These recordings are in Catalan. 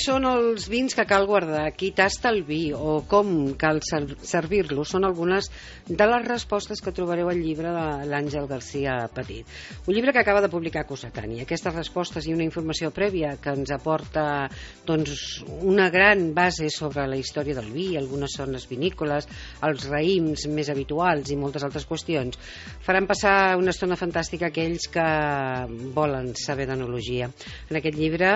són els vins que cal guardar? Qui tasta el vi? O com cal servir-lo? Són algunes de les respostes que trobareu al llibre de l'Àngel García Petit. Un llibre que acaba de publicar Cossetani. Aquestes respostes i una informació prèvia que ens aporta una gran base sobre la història del vi, algunes zones vinícoles, els raïms més habituals i moltes altres qüestions, faran passar una estona fantàstica a aquells que volen saber d'enologia. En aquest llibre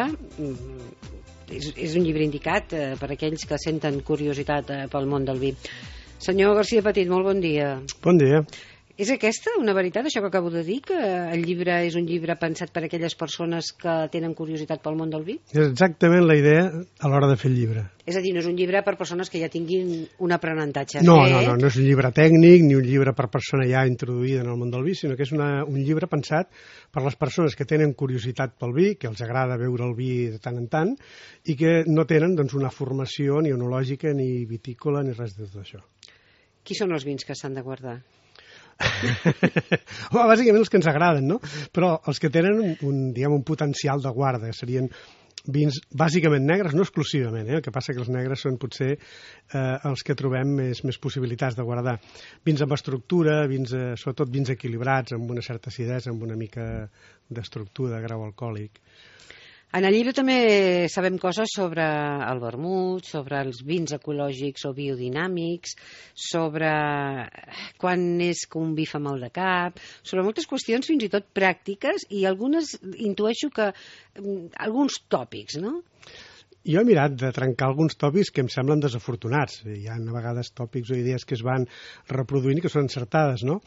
és un llibre indicat per a aquells que senten curiositat pel món del vi. Senyor García Petit, molt bon dia. Bon dia. És aquesta una veritat, això que acabo de dir, que el llibre és un llibre pensat per a aquelles persones que tenen curiositat pel món del vi? És exactament la idea a l'hora de fer el llibre. És a dir, no és un llibre per persones que ja tinguin un aprenentatge No fet. No és un llibre tècnic ni un llibre per persona ja introduïda en el món del vi, sinó que és un llibre pensat per les persones que tenen curiositat pel vi, que els agrada veure el vi de tant en tant i que no tenen una formació ni enològica ni vitícola ni res de tot això. Qui són els vins que s'han de guardar? Bàsicament els que ens agraden, no? Però els que tenen un potencial de guarda serien vins bàsicament negres, no exclusivament, el que passa que els negres són potser els que trobem més possibilitats de guardar. Vins amb estructura, sobretot vins equilibrats, amb una certa acidesa, amb una mica d'estructura, de grau alcohòlic. En el llibre també sabem coses sobre el vermut, sobre els vins ecològics o biodinàmics, sobre quan és que un vi fa mal de cap, sobre moltes qüestions fins i tot pràctiques i algunes intueixo que alguns tòpics, no? Jo he mirat de trencar alguns tòpics que em semblen desafortunats. Hi ha a vegades tòpics o idees que es van reproduint i que són encertades, no?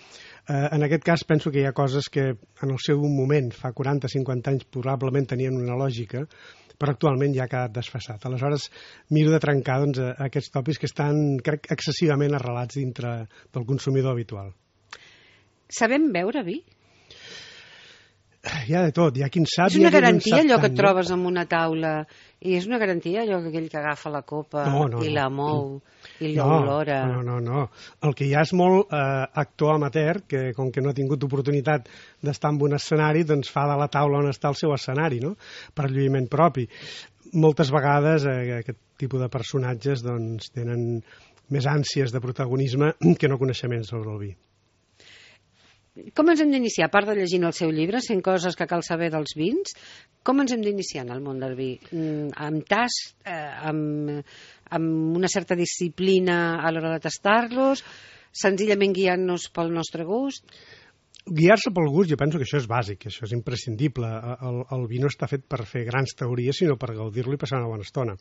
En aquest cas penso que hi ha coses que en el seu moment, fa 40-50 anys, probablement tenien una lògica, però actualment ja ha quedat desfasat. Aleshores, miro de trencar aquests tòpics que estan, crec, excessivament arrelats dintre del consumidor habitual. Sabem beure vi? Hi ha de tot, hi ha qui en sap. És una garantia allò que et trobes en una taula i és una garantia allò que aquell que agafa la copa i la mou i l'olora. No. El que hi ha és molt actor amateur que com que no ha tingut oportunitat d'estar en un escenari doncs fa de la taula on està el seu escenari, no? Per lluïment propi. Moltes vegades aquest tipus de personatges doncs tenen més ànsies de protagonisme que no coneixements sobre el vi. Com ens hem d'iniciar? A part de llegint el seu llibre, 100 coses que cal saber dels vins, com ens hem d'iniciar en el món del vi? Amb tast, amb una certa disciplina a l'hora de tastar-los, senzillament guiant-nos pel nostre gust? Guiar-se pel gust, jo penso que això és bàsic, això és imprescindible. El vi no està fet per fer grans teories, sinó per gaudir-lo i passar una bona estona.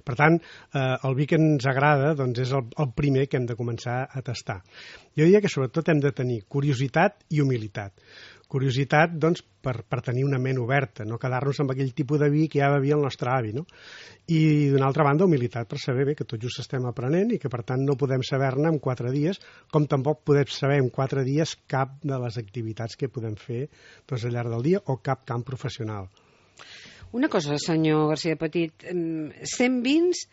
Per tant, el vi que ens agrada doncs, és el primer que hem de començar a tastar. Jo diria que sobretot hem de tenir curiositat i humilitat. Curiositat, doncs, per tenir una ment oberta, no quedar-nos amb aquell tipus de vi que ja bevia el nostre avi, no? I, d'una altra banda, humilitat per saber bé que tot just estem aprenent i que, per tant, no podem saber-ne en 4 dies, com tampoc podem saber en 4 dies cap de les activitats que podem fer doncs, al llarg del dia o cap camp professional. Una cosa, senyor García Petit, 100 vins,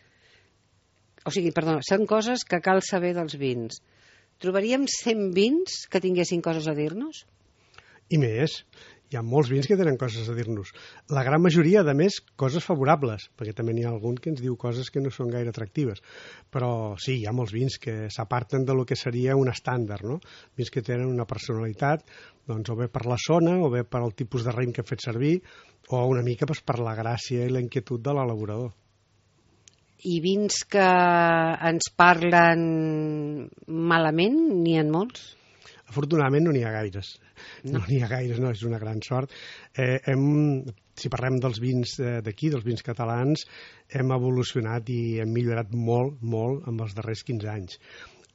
són coses que cal saber dels vins. Trobaríem 100 vins que tinguessin coses a dir-nos? I més, hi ha molts vins que tenen coses a dir-nos. La gran majoria, a més, coses favorables, perquè també n'hi ha algun que ens diu coses que no són gaire atractives. Però sí, hi ha molts vins que s'aparten de lo que seria un estàndard, no? Vins que tenen una personalitat, doncs, o bé per la zona, o bé per el tipus de raïm que he fet servir, o una mica doncs, per la gràcia i la inquietud de l'elaborador. I vins que ens parlen malament, n'hi ha molts? Afortunadament no n'hi ha gaires. No n'hi ha gaires, no, és una gran sort. Si parlem dels vins d'aquí, dels vins catalans, hem evolucionat i hem millorat molt, molt en els darrers 15 anys.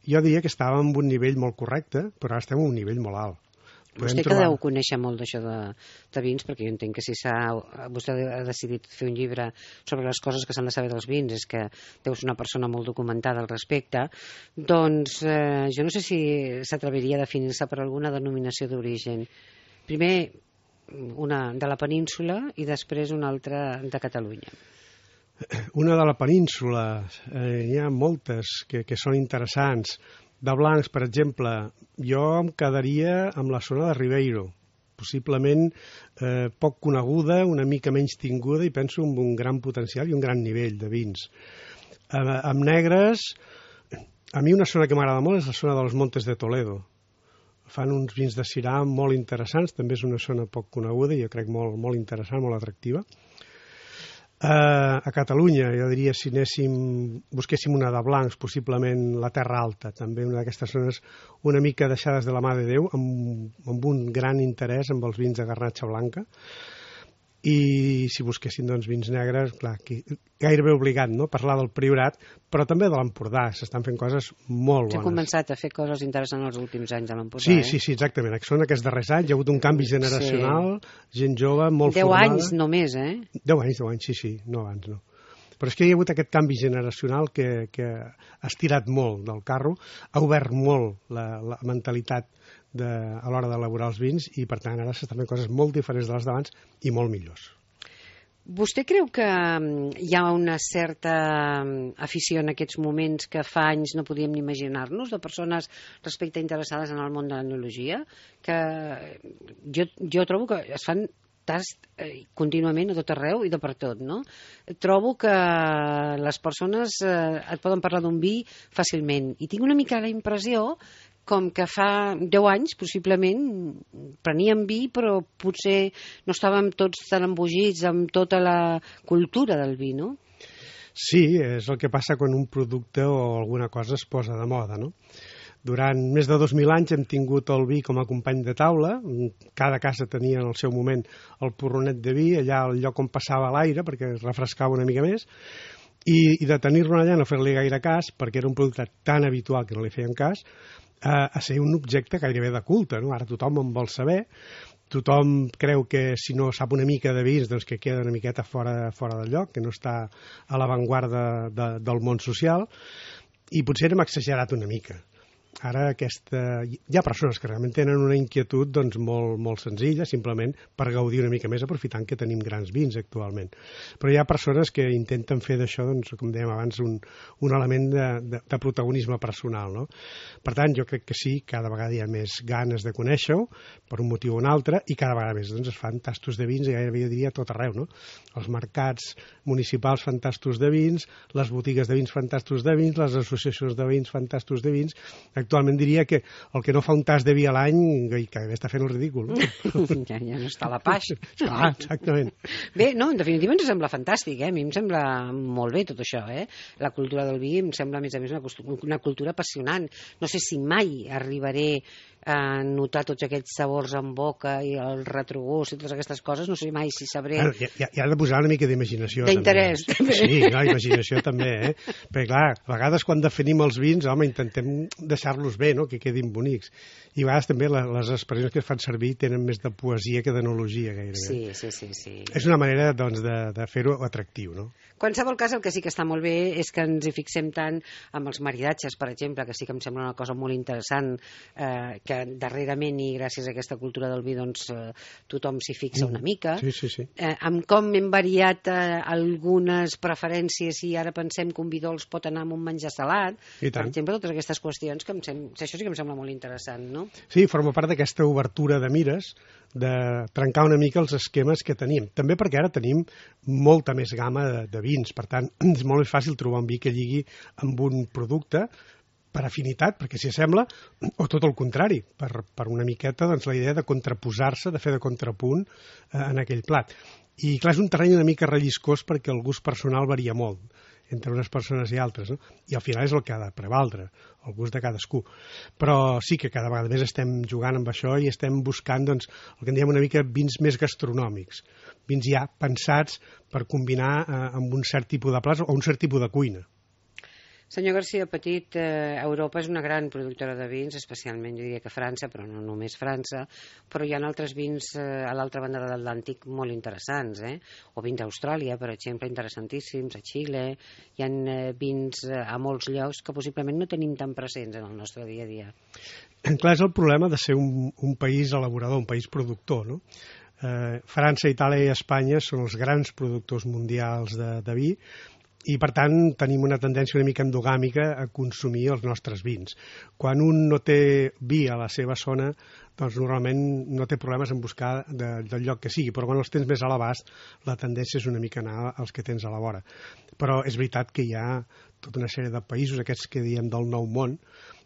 Jo diria que estàvem en un nivell molt correcte, però ara estem en un nivell molt alt. Vostè que deu conèixer molt d'això de vins, perquè jo entenc que si vostè ha decidit fer un llibre sobre les coses que s'han de saber dels vins, és que deu ser una persona molt documentada al respecte, doncs jo no sé si s'atreviria a definir-se per alguna denominació d'origen. Primer una de la península i després una altra de Catalunya. Una de la península, hi ha moltes que són interessants. De blancs, per exemple, jo em quedaria amb la zona de Ribeiro, possiblement poc coneguda, una mica menys tinguda i penso amb un gran potencial i un gran nivell de vins. Amb negres, a mi una zona que m'agrada molt és la zona dels Montes de Toledo. Fan uns vins de Syrah molt interessants, també és una zona poc coneguda i jo crec molt interessant, molt atractiva. A Catalunya, jo diria, si busquéssim una de blancs, possiblement la Terra Alta, també una d'aquestes zones una mica deixades de la mà de Déu, amb un gran interès amb els vins de Garnatxa Blanca. I si busquessin doncs, vins negres, clar, gairebé obligat, no?, parlar del Priorat, però també de l'Empordà. S'estan fent coses molt bones. S'ha començat a fer coses interessants els últims anys a l'Empordà. Sí, exactament. Són aquests darrers anys. Hi ha hagut un canvi generacional, gent jove, molt 10 formada. 10 anys només, 10 anys, sí, no abans, no. Però és que hi ha hagut aquest canvi generacional que ha estirat molt del carro, ha obert molt la mentalitat a l'hora d'elaborar els vins i, per tant, ara s'estan fent coses molt diferents de les d'abans i molt millors. Vostè creu que hi ha una certa afició en aquests moments que fa anys no podíem ni imaginar-nos, de persones respecte interessades en el món de l'enologia? Que jo trobo que es fan tast contínuament a tot arreu i de per tot, no? Trobo que les persones et poden parlar d'un vi fàcilment i tinc una mica la impressió com que fa 10 anys, possiblement, preníem vi, però potser no estàvem tots tan embogits amb tota la cultura del vi, no? Sí, és el que passa quan un producte o alguna cosa es posa de moda, no? Durant més de 2.000 anys hem tingut el vi com a company de taula, cada casa tenia en el seu moment el porronet de vi, allà al lloc on passava l'aire, perquè es refrescava una mica més, i de tenir-lo allà no fer-li gaire cas, perquè era un producte tan habitual que no li feien cas, a ser un objecte gairebé de culte, no? Ara tothom en vol saber, tothom creu que si no sap una mica de vins doncs que queda una miqueta fora del lloc, que no està a l'avantguarda del món social, i potser hem exagerat una mica. Ara hi ha persones que realment tenen una inquietud doncs, molt senzilla, simplement per gaudir una mica més, aprofitant que tenim grans vins actualment. Però hi ha persones que intenten fer d'això, doncs, com dèiem abans, un element de protagonisme personal, no? Per tant, jo crec que sí, cada vegada hi ha més ganes de conèixer-ho, per un motiu o un altre, i cada vegada més doncs, es fan tastos de vins, i gairebé jo diria a tot arreu, no? Els mercats municipals fan tastos de vins, les botigues de vins fan tastos de vins, les associacions de vins fan tastos de vins. Actualment diria que el que no fa un tas de vi a l'any que està fent el ridícul. No? Ja no està a la paix. Ah, exactament. Bé, no, en definitiva ens sembla fantàstic, A mi em sembla molt bé tot això, La cultura del vi em sembla, a més, una cultura apassionant. No sé si mai arribaré a notar tots aquests sabors en boca i el retrogust i totes aquestes coses, no sé mai si sabré... Hi ha de posar una mica d'imaginació. D'interès. Sí, no, imaginació també, Perquè, clar, a vegades quan definim els vins, home, intentem deixar-los bé, no?, que quedin bonics. I a vegades també les expressions que es fan servir tenen més de poesia que d'enologia, gairebé. Sí. És una manera, doncs, de fer-ho atractiu, no? En qualsevol cas, el que sí que està molt bé és que ens hi fixem tant amb els maridatges, per exemple, que sí que em sembla una cosa molt interessant, que darrerament, i gràcies a aquesta cultura del vi, doncs tothom s'hi fixa una mica. Sí. Amb com hem variat algunes preferències i ara pensem que un vi dolç pot anar amb un menjar salat, per exemple, totes aquestes qüestions, això sí que em sembla molt interessant, no? Sí, forma part d'aquesta obertura de mires, de trencar una mica els esquemes que tenim. També perquè ara tenim molta més gamma de vins, per tant, és molt més fàcil trobar un vi que lligui amb un producte per afinitat, perquè s'hi assembla, o tot el contrari, per una miqueta doncs, la idea de contraposar-se, de fer de contrapunt en aquell plat. I clar, és un terreny una mica relliscós perquè el gust personal varia molt entre unes persones i altres, no? I al final és el que ha de prevaldre, el gust de cadascú. Però sí que cada vegada més estem jugant amb això i estem buscant, doncs, el que en diem una mica vins més gastronòmics, vins ja pensats per combinar amb un cert tipus de plats o un cert tipus de cuina. Senyor García Petit, Europa és una gran productora de vins, especialment jo diria que França, però no només França, però hi ha altres vins a l'altra banda de l'Atlàntic molt interessants, o vins d'Austràlia, per exemple, interessantíssims, a Xile, hi ha vins a molts llocs que possiblement no tenim tan presents en el nostre dia a dia. Clar, és el problema de ser un país elaborador, un país productor, no? França, Itàlia i Espanya són els grans productors mundials de vi, i per tant tenim una tendència una mica endogàmica a consumir els nostres vins. Quan un no té vi a la seva zona, doncs normalment no té problemes en buscar del lloc que sigui, però quan els tens més a l'abast la tendència és una mica anar als que tens a la vora. Però és veritat que hi ha tota una sèrie de països, aquests que diem del nou món,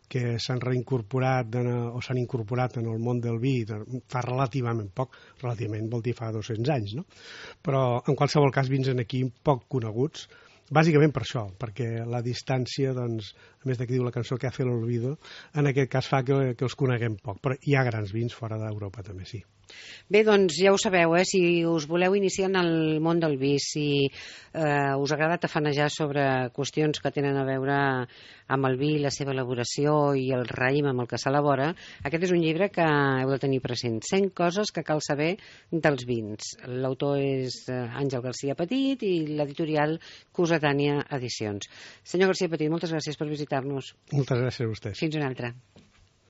que s'han reincorporat o s'han incorporat en el món del vi fa relativament poc, relativament vol dir fa 200 anys, no? Però en qualsevol cas vins aquí poc coneguts, bàsicament per això, perquè la distància, doncs, a més de que diu la cançó que hace el olvido, en aquest cas fa que els coneguem poc, però hi ha grans vins fora d'Europa també, sí. Bé, doncs ja ho sabeu, si us voleu iniciar en el món del vi, si us agrada tafanejar sobre qüestions que tenen a veure amb el vi, la seva elaboració i el raïm amb el que s'elabora, aquest és un llibre que heu de tenir present. 100 coses que cal saber dels vins. L'autor és Àngel Garcia Petit i l'editorial Cossetània Edicions. Senyor Garcia Petit, moltes gràcies per visitar-nos. Moltes gràcies a vostès. Fins una altra.